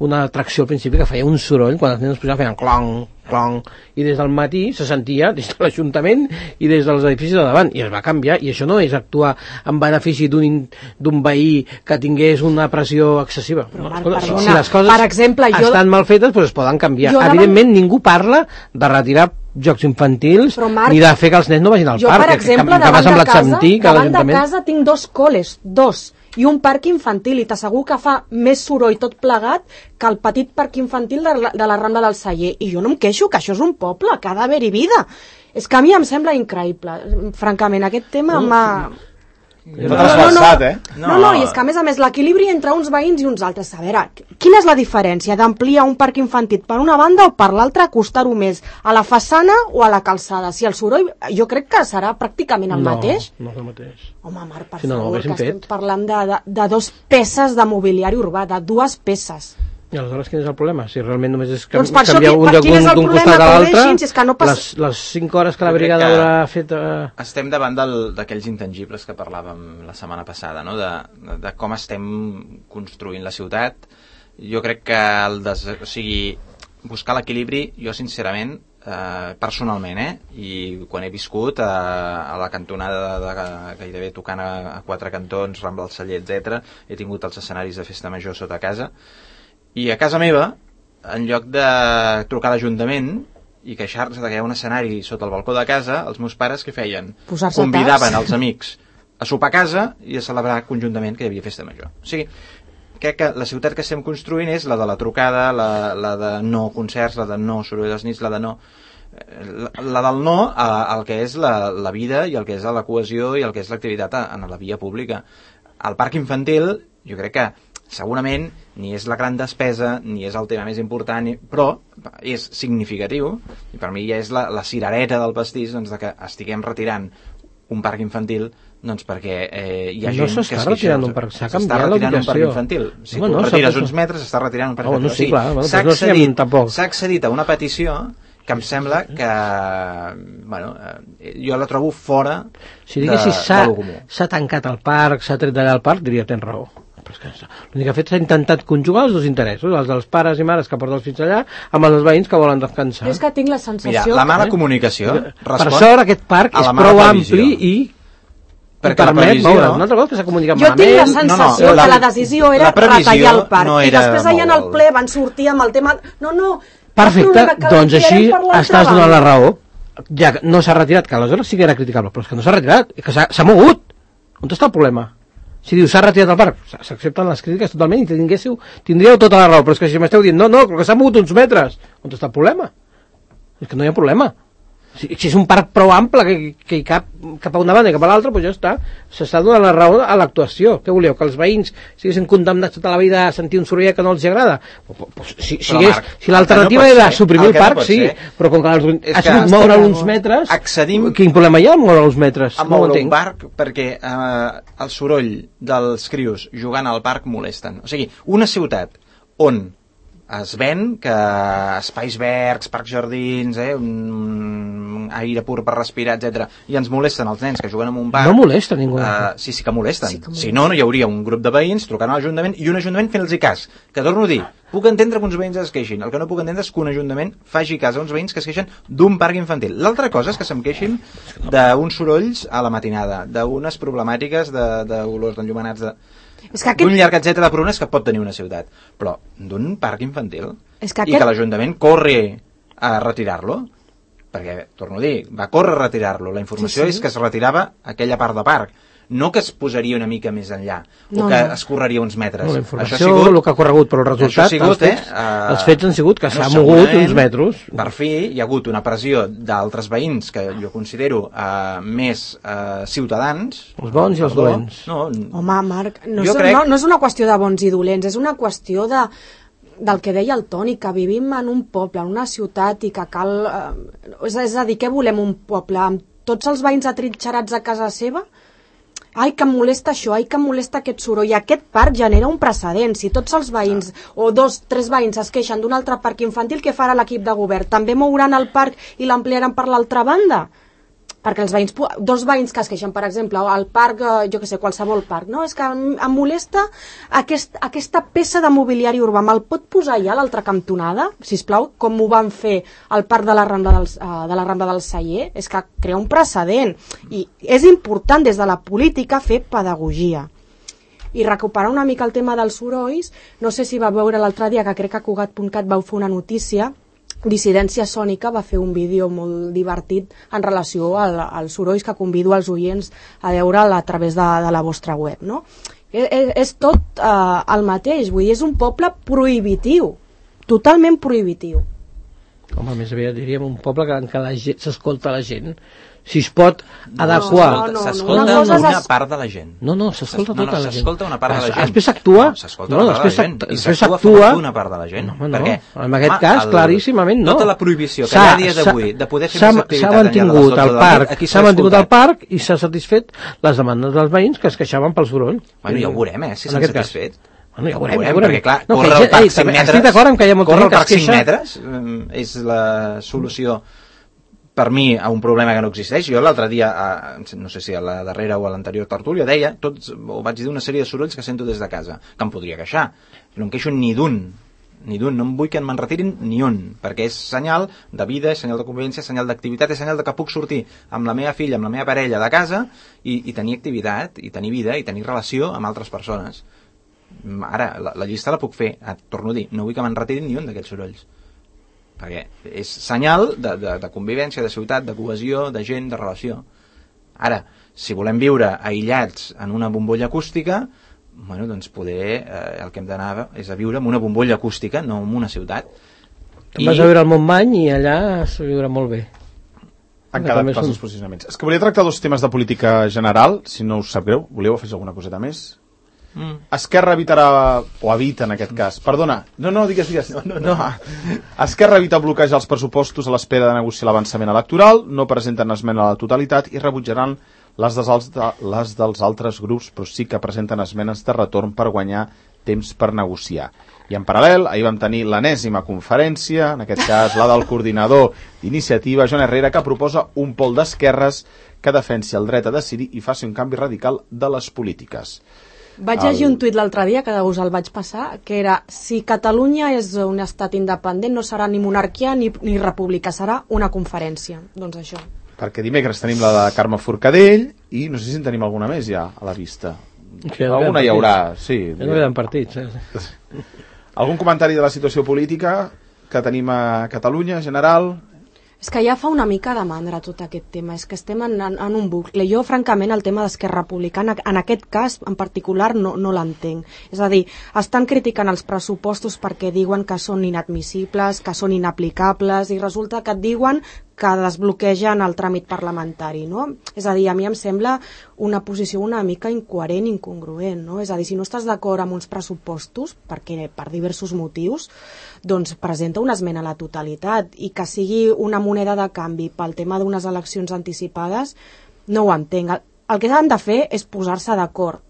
una atracció al principi que feia un soroll, quan els nens pujaven feien clong, clong, i des del matí se sentia des de l'Ajuntament i des dels edificis de davant, i es va canviar, i això no és actuar en benefici d'un in- d'un veí que tingués una pressió excessiva. Però, No, Marc, escolta, si, perdona, si les coses per exemple, jo- estan mal fetes, doncs es poden canviar. Jo davant- Evidentment, ningú parla de retirar jocs infantils Però, Marc, ni de fer que els nens no vagin al Jo, parc, per que- exemple, que, que m'ha davant, de semblat casa, sentir que davant de l'Ajuntament... casa tinc dos col·les, dos, i un parc infantil, i t'assegur que fa més soroll tot plegat que el petit parc infantil de la, de la Rambla del Celler. I jo no em queixo, que això és un poble, que ha d'haver-hi vida. És que a mi em sembla increïble. Francament, aquest tema m'ha... Tot trasbalsat, eh? No, no, no, i és que a més a més l'equilibri entre uns veïns i uns altres. A veure, quina és la diferència d'ampliar un parc infantil per una banda o per l'altra, acostar-ho més a la façana o a la calçada? Si el soroll, jo crec que serà pràcticament el no, mateix. No, és el mateix. Home, Marc, per Si no, no ho favor, que haguéssim estem fet. parlant de, de, de dos peces de mobiliari urbà, de dues peces. I aleshores quin és el problema? Si realment només és can Doncs per això, canviar qui- un per lloc quin és d'un el d'un problema? costat a Que ho l'altre, deixin, si és que no passa- les, les cinc hores que la Jo crec brigada que- haurà fet... Eh... Estem davant del- d'aquells intangibles que parlàvem la setmana passada, no? de, de com estem construint la ciutat. Jo crec que el des... o sigui, buscar l'equilibri, jo sincerament, eh, personalment, eh? I quan he viscut a, a la cantonada de, de, gairebé tocant a, a quatre cantons, Rambla del Celler, etcètera, he tingut els escenaris de festa major sota casa, i a casa meva, en lloc de trucar a l'Ajuntament, i queixar-se que hi ha un escenari sota el balcó de casa, els meus pares què feien? Posar-se Convidaven taps. els amics a sopar a casa i a celebrar conjuntament que hi havia festa major. O sigui, crec que la ciutat que estem construint és la de la trucada, la, la de no concerts, la de no soroll dels nits, la de no... La, la del no al que és la, la vida i el que és la cohesió i el que és l'activitat en la via pública. El parc infantil, jo crec que segurament ni és la gran despesa, ni és el tema més important, ni, però és significatiu, i per mi ja és la, la cirereta del pastís, doncs, de que estiguem retirant un parc infantil, doncs perquè eh, hi ha no gent que es queixa. retirant un parc, s'ha canviat retirant un parc l'ubicació. infantil. Si Home, tu no, retires s'ha- uns metres, s'està retirant un parc Oh, no, infantil. sí, clar, bueno, s'ha doncs no siguem accedit, tampoc. s'ha accedit a una petició que em sembla que, bueno, eh, jo la trobo fora Si diguessis de, s'ha de lo comú. s'ha tancat el parc, s'ha tret d'allà el parc, diria tens raó. Però és que l'únic que ha fet s'ha intentat conjugar els dos interessos, els dels pares i mares que porten els fills allà, amb els dels veïns que volen descansar. Jo és que tinc la Mira, sensació... la mala eh? comunicació Per respon sort aquest parc a és la mala prou previsió. ampli i Perquè la permet previsió- moure. Una altra cosa que s'ha comunicat Jo tinc la malament. sensació no, no, la- que la decisió era la previsió retallar el parc. no I era després allà en el moure'l. ple van sortir amb el tema... No, no, Perfecte, el problema que doncs així l'ampliarem per l'altra estàs donant banda. la raó. Ja que no s'ha retirat, que aleshores sí que era criticable, però és que no s'ha retirat, és que s'ha s'ha mogut. On està el problema? Si dius s'ha retirat el parc, s'accepten les crítiques totalment i tinguéssiu, tindríeu tota la raó, però és que si m'esteu dient no, no, que s'ha mogut uns metres, on està el problema? És que no hi ha problema. Si, si és un parc prou ample que, que hi cap cap a una banda i cap a l'altra, doncs ja està. S'està donant la raó a l'actuació. Què voleu? Que els veïns siguessin condemnats tota la vida a sentir un sorollet que no els agrada? Pues, si si, Però, és, Marc, si l'alternativa el que no pot era ser- suprimir el el que no parc, pot sí, ser però com que has és sigut que moure estem- uns metres, accedim- quin problema hi ha en moure uns metres? a No ho moure un entenc. parc perquè eh, el soroll dels crios jugant al parc molesten. O sigui, una ciutat on es ven que espais verds, parcs jardins, eh, un aire pur per respirar, etcètera, i ens molesten els nens que juguen en un parc. No molesta ningú. Uh, sí, sí que molesten. Sí que molesten. Si no, no hi hauria un grup de veïns trucant a l'Ajuntament i un Ajuntament fent-los cas. Que torno a dir, puc entendre que uns veïns es queixin. El que no puc entendre és que un Ajuntament faci cas a uns veïns que es queixen d'un parc infantil. L'altra cosa és que se'm queixin d'uns sorolls a la matinada, d'unes problemàtiques d'olors d'enllumenats de... És que d'un aquest... llarg etcètera de problemes que pot tenir una ciutat. Però d'un parc infantil És que i aquest- que l'Ajuntament corre a retirar-lo, perquè, torno a dir, va córrer a retirar-lo. La informació Sí, sí. és que es retirava aquella part de parc, no que es posaria una mica més enllà, No, o que no. es correria uns metres. No, la Això ha informació, sigut- el que ha corregut, però el resultat, això ha sigut, els, fets, eh, eh, els fets han sigut que bueno, s'ha mogut segurament, uns metres. Per fi hi ha hagut una pressió d'altres veïns que jo considero eh, més eh, ciutadans. Els bons i els Perdó, dolents. No, Home, Marc, no Jo és, crec- no, no és una qüestió de bons i dolents, és una qüestió de, del que deia el Toni, que vivim en un poble, en una ciutat i que cal... Eh, és, és a dir, què volem un poble? Amb tots els veïns atrinxerats a casa seva? Ai, que em molesta això, ai, que em molesta aquest soroll. I aquest parc genera un precedent. Si tots els veïns, o dos, tres veïns es queixen d'un altre parc infantil, què farà l'equip de govern? També mouran el parc i l'ampliaran per l'altra banda? Perquè els veïns, dos veïns que es queixen, per exemple, al parc, jo que sé, qualsevol parc, no? És que em, em molesta aquest, aquesta peça de mobiliari urbà. Me'l pot posar ja a l'altra cantonada, sisplau, com ho van fer al parc de la Rambla del, uh, de la Rambla del Celler? És que crea un precedent. I és important des de la política fer pedagogia. I recuperar una mica el tema dels sorolls, no sé si va veure l'altre dia que crec que a Cugat punt cat vau fer una notícia. Dissidència Sònica va fer un vídeo molt divertit en relació al, als sorolls que convido als oients a veure'l a través de, de la vostra web, no? És, és tot eh, el mateix, vull dir, és un poble prohibitiu, totalment prohibitiu. Home, més aviat diríem un poble que, en què la gent s'escolta la gent. Si es pot adequar... no, no, S'escolta una cosa és una es- part de la gent. No, no, s'escolta No, no, tota la gent. s'escolta una part de la gent. Després s'actua... No, s'escolta una part de la gent. I després s'actua a s'actua... favor d'una part de la gent. No, home, no. Perquè, En aquest home, cas, el- claríssimament, no. Tota la prohibició que hi S'ha- ha a dia d'avui s'ha- de poder fer s'ha- més activitat s'ha enllà de les mantingut dotze el del parc, nit, aquí s'ha mantingut el escoltat. parc i s'ha satisfet les demandes dels veïns que es queixaven pel soroll. Bueno, ja ho veurem, eh, si En s'han aquest cas. satisfet. Bueno, ja ho veurem, Ho ja ho veurem. perquè clar, No, que córrer hi el ha- ei, parc cinc també metres... estic d'acord amb que hi ha molta córrer gent el que parc es cinc queixa- metres eh, és la solució per mi a un problema que no existeix. Jo l'altre dia, eh, no sé si a la darrera o a l'anterior tertúlia, deia, tots, o vaig dir una sèrie de sorolls que sento des de casa, que em podria queixar. No em queixo ni d'un, ni d'un, no em vull que me'n retirin ni un, perquè és senyal de vida, és senyal de convivència, és senyal d'activitat, és senyal de que puc sortir amb la meva filla, amb la meva parella de casa i, i tenir activitat, i tenir vida, i tenir relació amb altres persones. Ara, la, la llista la puc fer, ah, torno a dir, no vull que me'n retirin ni un d'aquests sorolls. perquè és senyal de, de, de convivència, de ciutat, de cohesió, de gent, de relació. Ara, si volem viure aïllats en una bombolla acústica, bueno, doncs poder, eh, el que hem d'anar és a viure en una bombolla acústica, no en una ciutat. Te'n vas a viure al Montmany i allà es viurà molt bé. Han quedat clars els posicionaments. És que volia tractar dos temes de política general, si no us sap greu. Voleu afegir alguna coseta més? Mm. Esquerra evitarà, o evita en aquest cas, perdona, no, no, digues, digues, no, no, no. Esquerra evita bloquejar els pressupostos a l'espera de negociar l'avançament electoral, no presenten esmena a la totalitat i rebutjaran les dels, les dels altres grups, però sí que presenten esmenes de retorn per guanyar temps per negociar. I en paral·lel, ahir vam tenir l'enèsima conferència, en aquest cas la del coordinador d'iniciativa, Joan Herrera, que proposa un pol d'esquerres que defensi el dret a decidir i faci un canvi radical de les polítiques. Vaig llegir un tuit l'altre dia, que us el vaig passar, que era: si Catalunya és un estat independent no serà ni monarquia ni, ni república, serà una conferència. Doncs això. Perquè dimecres tenim la de Carme Forcadell i no sé si en tenim alguna més ja a la vista. Sí, alguna hi haurà, sí. Ja no queden partits. Eh? Algun comentari de la situació política que tenim a Catalunya, general? És que ja fa una mica de mandra tot aquest tema, és que estem en, en, en un bucle. Jo, francament, el tema d'Esquerra Republicana, en aquest cas en particular, no, no l'entenc. És a dir, estan criticant els pressupostos perquè diuen que són inadmissibles, que són inaplicables, i resulta que et diuen que desbloquegen el tràmit parlamentari, no? És a dir, a mi em sembla una posició una mica incoherent, incongruent, no? És a dir, si no estàs d'acord amb uns pressupostos, perquè per diversos motius, doncs presenta una esmena a la totalitat, i que sigui una moneda de canvi pel tema d'unes eleccions anticipades, no ho entenc. El, el que han de fer és posar-se d'acord,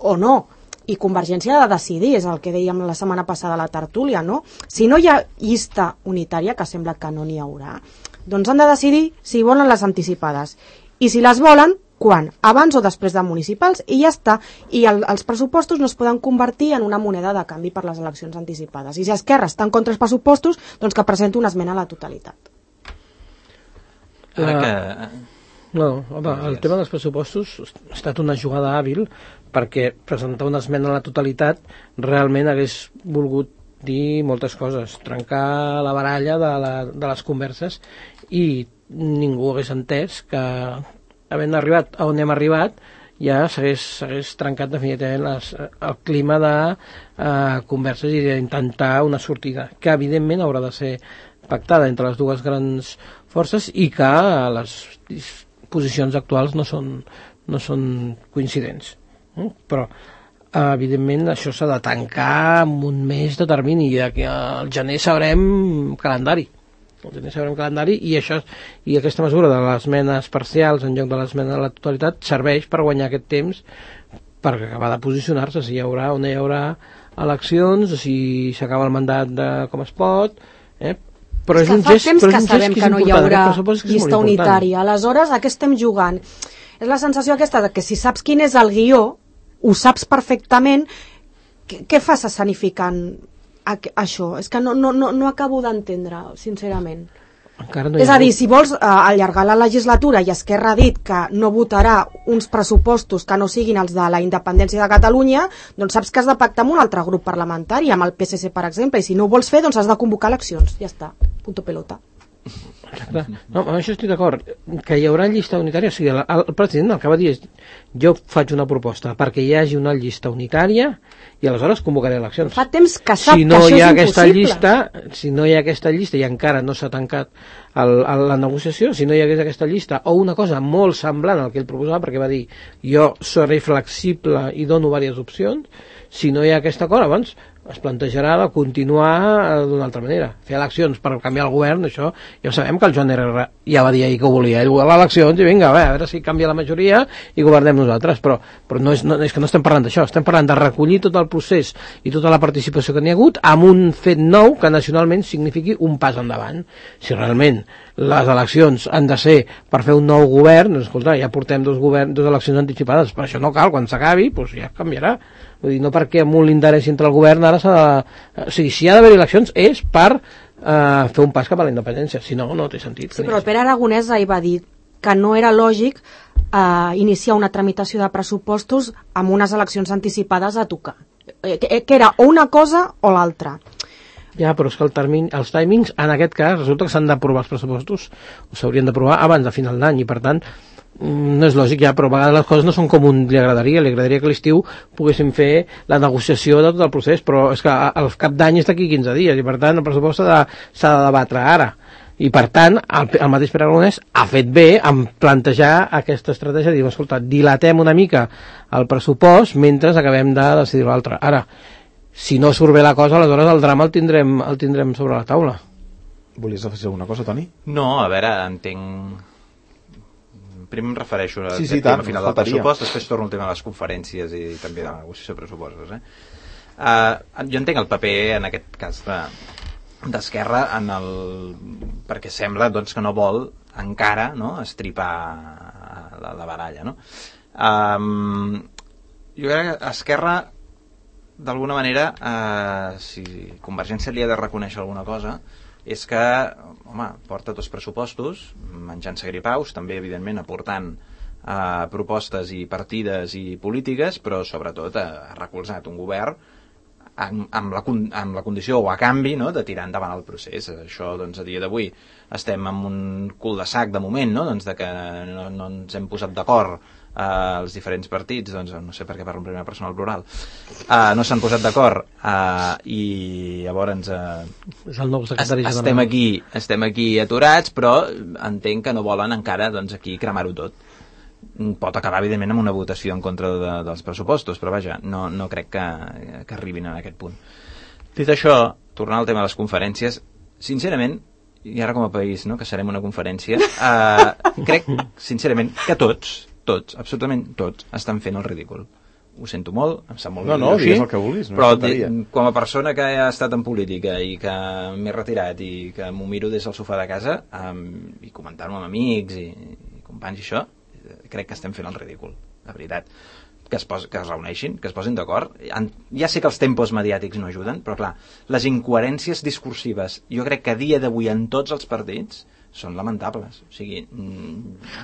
o no, i Convergència ha de decidir, és el que dèiem la setmana passada a la tertúlia, no? Si no hi ha llista unitària, que sembla que no n'hi haurà, doncs han de decidir si volen les anticipades, i si les volen, quan? Abans o després de municipals, i ja està. I el, els pressupostos no es poden convertir en una moneda de canvi per les eleccions anticipades. I si Esquerra està en contra dels pressupostos, doncs que presenti una esmena a la totalitat. Ara que... No, home, el tema dels pressupostos ha estat una jugada hàbil, perquè presentar una esmena a la totalitat realment hagués volgut dir moltes coses, trencar la baralla de, la, de les converses, i ningú hagués entès que, havent arribat a on hem arribat, ja s'hagués trencat definitivament les, el clima de eh, converses i d'intentar una sortida, que evidentment haurà de ser pactada entre les dues grans forces, i que les posicions actuals no són, no són coincidents. Mm? Però evidentment això s'ha de tancar amb un mes de termini, i aquí al gener sabrem calendari al gener sabrem calendari i això, i aquesta mesura de les esmenes parcials en lloc de l'esmena a la totalitat serveix per guanyar aquest temps, per acabar de posicionar-se si hi haurà o no hi haurà eleccions, si s'acaba el mandat de com es pot, eh? Però és, és un gest, temps però que és un sabem gest que, que no hi haurà llista unitària, important. Aleshores a què estem jugant? És la sensació aquesta de que si saps quin és el guió, ho saps perfectament, què, què fas escenificant això? És que no, no, no, no acabo d'entendre, sincerament. No és a dir, si vols uh, allargar la legislatura i Esquerra ha dit que no votarà uns pressupostos que no siguin els de la independència de Catalunya, doncs saps que has de pactar amb un altre grup parlamentari, amb el P S C, per exemple, i si no ho vols fer, doncs has de convocar eleccions. Ja està, punto pelota. Exacte. No, amb això estic d'acord, que hi haurà llista unitària, o sigui, el, el president el que va dir és: jo faig una proposta perquè hi hagi una llista unitària i aleshores convocaré eleccions. Fa temps que sap si no que això hi ha és aquesta impossible. llista, si no hi ha aquesta llista i encara no s'ha tancat el, el, la negociació, si no hi hagués aquesta llista o una cosa molt semblant al que ell proposava, perquè va dir jo seré flexible i dono diverses opcions, si no hi ha aquest acord, abans es plantejarà de continuar d'una altra manera. Fer eleccions per canviar el govern, això ja sabem que el Joan Herrera ja va dir ahir que ho volia. Ell volia eleccions i vinga, a veure si canvia la majoria i governem nosaltres, però, però no és, no, és que no estem parlant d'això, estem parlant de recollir tot el procés i tota la participació que n'hi ha hagut amb un fet nou que nacionalment signifiqui un pas endavant. Si realment les eleccions han de ser per fer un nou govern, doncs, escolta, ja portem dos, govern, dos eleccions anticipades, per això no cal, quan s'acabi doncs ja canviarà. Vull dir, no perquè amb un l'interès entre el govern ara s'ha de... O sigui, si hi ha d'haver eleccions és per eh, fer un pas cap a la independència, si no, no té sentit. Sí, però el Pere Aragonès ahir va dir que no era lògic eh, iniciar una tramitació de pressupostos amb unes eleccions anticipades a tocar. Eh, que, que era o una cosa o l'altra. Ja, però és que el termini, els timings, en aquest cas, resulta que s'han d'aprovar els pressupostos, o s'haurien d'aprovar abans de final d'any, i per tant, no és lògic ja, però a vegades les coses no són com un li agradaria, li agradaria que a l'estiu poguéssim fer la negociació de tot el procés, però és que el cap d'any és d'aquí quinze dies, i per tant el pressupost s'ha de, s'ha de debatre ara. I per tant, el, el mateix Pere Aragonès ha fet bé en plantejar aquesta estratègia de dir, escolta, dilatem una mica el pressupost mentre acabem de decidir l'altre. Ara, si no surt bé la cosa, aleshores el drama el tindrem, el tindrem sobre la taula. Volies afegir alguna cosa, Toni? No, a veure, entenc... Primer em refereixo a sí, sí, aquest tant, tema final del pressupost, després torno al tema de les conferències i també de la negociació de pressupostos. Eh? Uh, jo entenc el paper, en aquest cas, de, d'Esquerra, en el... perquè sembla doncs, que no vol encara, no?, estripar la, la baralla. No? Um, jo crec que Esquerra, d'alguna manera, uh, si Convergència li ha de reconèixer alguna cosa, és que, home, porta dos pressupostos, menjant-se gripaus, també, evidentment, aportant eh, propostes i partides i polítiques, però, sobretot, ha recolzat un govern amb, amb, la, amb la condició, o a canvi, no?, de tirar endavant el procés. Això, doncs, a dia d'avui estem en un cul de sac, de moment, no?, doncs, de que no, no ens hem posat d'acord Uh, els diferents partits, doncs no sé per què parlo en primera persona al plural, uh, no s'han posat d'acord uh, i llavors uh, és el nou secretari general. Estem aquí, estem aquí aturats, però entenc que no volen encara doncs, aquí cremar-ho tot. Pot acabar evidentment amb una votació en contra de, dels pressupostos, però vaja, no, no crec que, que arribin a aquest punt. Dit això, tornant al tema de les conferències, sincerament, i ara com a país, no, que serem una conferència, uh, crec sincerament que tots tots, absolutament tots, estan fent el ridícul. Ho sento molt, em sap molt no, no, així, el que vulguis, no, però de, com a persona que ha estat en política i que m'he retirat i que m'ho miro des del sofà de casa um, i comentant-ho amb amics i, i companys i això, crec que estem fent el ridícul, la veritat. Que es, pos, que es reuneixin, que es posin d'acord. Ja sé que els tempos mediàtics no ajuden, però clar, les incoherències discursives, jo crec que a dia d'avui en tots els partits són lamentables. O sigui,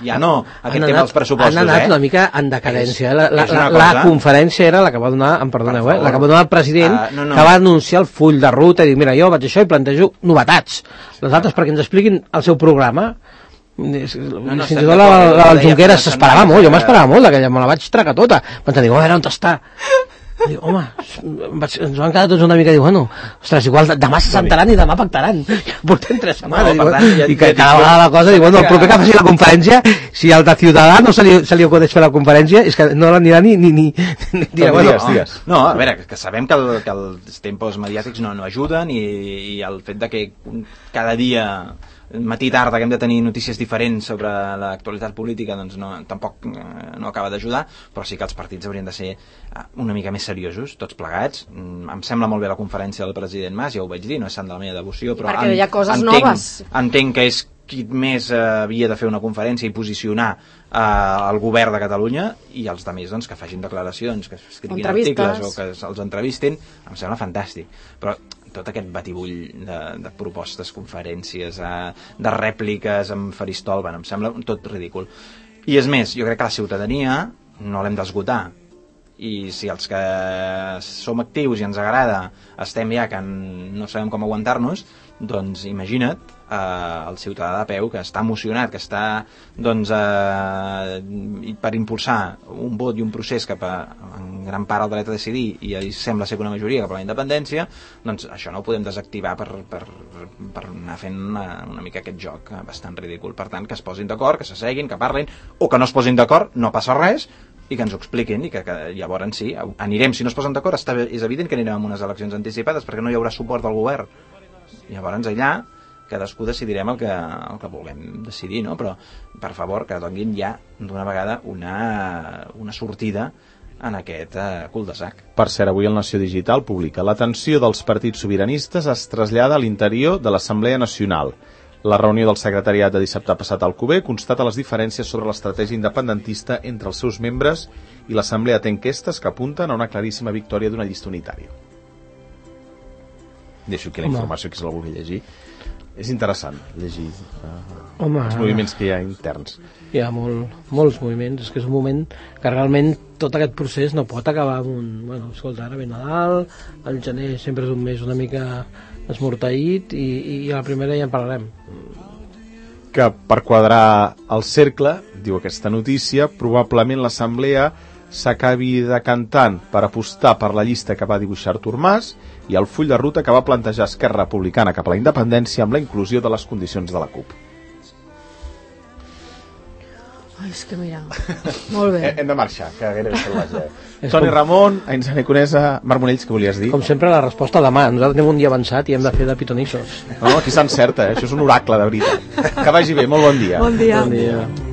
ja no aquest han tema anat, dels pressupostos, han anat eh? una mica en decadència. La, la, és la, cosa... la conferència era la que va donar, em perdoneu, eh? La que va donar el president, uh, no, no. que va anunciar el full de ruta i dir, mira, jo vaig això i plantejo novetats. Les altres perquè ens expliquin el seu programa. No, no, fins i tot la, la, la Junqueras s'esperava molt, jo m'esperava molt d'aquella, me la vaig tragar tota. Vaig dir, a veure, on està? Dic, home, vaig, ens van quedar tots una mica, dic, bueno, ostres, igual demà se sentaran i demà pactaran. Portem tres setmanes. No, tant, ja, i que cada vegada la cosa, dic, bueno, el proper que faci la conferència, si al de Ciutadans se li, se li acudeix fer la conferència, és que no l'anirà ni... ni, ni, ni dirà, bueno, digues, digues. No, a veure, que sabem que, el, que els tempos mediàtics no, no ajuden i, i el fet de que cada dia... matí i tarda que hem de tenir notícies diferents sobre l'actualitat política doncs no, tampoc eh, no acaba d'ajudar, però sí que els partits haurien de ser una mica més seriosos, tots plegats. Em sembla molt bé la conferència del president Mas, ja ho vaig dir, no és sant de la meva devoció, però perquè en, hi ha coses entenc, noves. Entenc que és qui més eh, havia de fer una conferència i posicionar eh, el govern de Catalunya, i els altres doncs, que facin declaracions, que escriguin articles o que els entrevistin, em sembla fantàstic, però tot aquest batibull de, de propostes, conferències, eh, de rèpliques amb faristol, bueno, em sembla tot ridícul. I és més, jo crec que la ciutadania no l'hem d'esgotar, i si els que som actius i ens agrada estem ja que no sabem com aguantar-nos, doncs imagina't eh, el ciutadà de peu que està emocionat, que està doncs, eh, per impulsar un vot i un procés cap a en gran part el dret a decidir, i sembla ser que una majoria cap a la independència, doncs això no ho podem desactivar per, per, per anar fent una, una mica aquest joc bastant ridícul. Per tant, que es posin d'acord, que s'asseguin, que parlin, o que no es posin d'acord, no passa res, i que ens ho expliquin, i que, que llavors sí, anirem, si no es posen d'acord, està, és evident que anirem amb unes eleccions anticipades perquè no hi haurà suport del govern. Llavors allà cadascú decidirem el que, el que vulguem decidir, no? Però per favor que donin ja d'una vegada una, una sortida en aquest eh, cul de sac. Per cert, avui el Nació Digital publica: l'atenció dels partits sobiranistes es trasllada a l'interior de l'Assemblea Nacional. La reunió del secretariat de dissabte passat al Cuber constata les diferències sobre l'estratègia independentista entre els seus membres, i l'Assemblea té enquestes que apunten a una claríssima victòria d'una llista unitària. Deixo aquí la informació, que se la vulgui llegir. És interessant llegir uh, Home, els moviments que hi ha interns. Hi ha molt, molts moviments, és que és un moment que realment tot aquest procés no pot acabar amb un... Bueno, escolta, ara ve Nadal, el gener sempre és un mes una mica esmorteït, i, i a la primera ja en parlarem. Que per quadrar el cercle, diu aquesta notícia, probablement l'Assemblea s'acabi decantant per apostar per la llista que va dibuixar Artur Mas i el full de ruta que va plantejar Esquerra Republicana cap a la independència amb la inclusió de les condicions de la CUP. Ai, és que mira, molt bé. Hem de marxar, que gairebé se l'ha. Toni Ramon, Ainzane Conesa, Marc Monells, què volies dir? Com sempre, la resposta demà. Nosaltres anem un dia avançat i hem de fer de pitonissos. No, aquí s'encerta, eh? Això és un oracle, de veritat. Que vagi bé, molt bon dia. Bon dia. Bon dia.